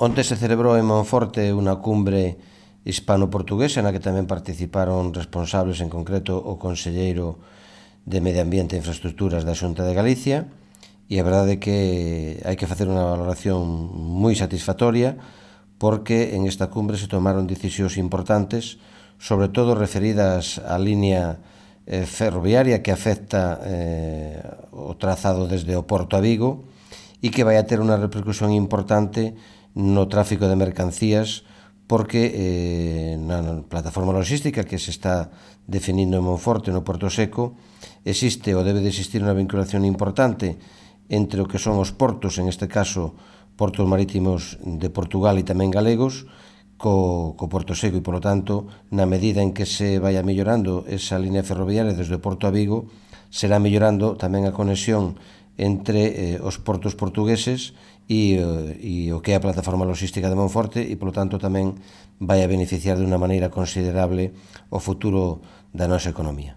Onte se celebrou en Monforte unha cumbre hispano-portuguesa na que tamén participaron responsables, en concreto o conselleiro de Medio Ambiente e Infraestructuras da Xunta de Galicia, e a verdade é que hai que facer unha valoración moi satisfactoria porque en esta cumbre se tomaron decisións importantes, sobre todo referidas á línea ferroviaria que afecta o trazado desde o Porto a Vigo e que vai a ter unha repercusión importante no tráfico de mercancías porque na plataforma logística que se está definindo en Monforte, no Porto Seco, existe ou debe de existir unha vinculación importante entre o que son os portos, en este caso portos marítimos de Portugal e tamén galegos, co Porto Seco e, polo tanto, na medida en que se vaya mellorando esa línea ferroviaria desde o Porto a Vigo, será mellorando tamén a conexión entre os portos portugueses e o que é a plataforma logística de Monforte e, polo tanto, tamén vai a beneficiar de unha maneira considerable o futuro da nosa economía.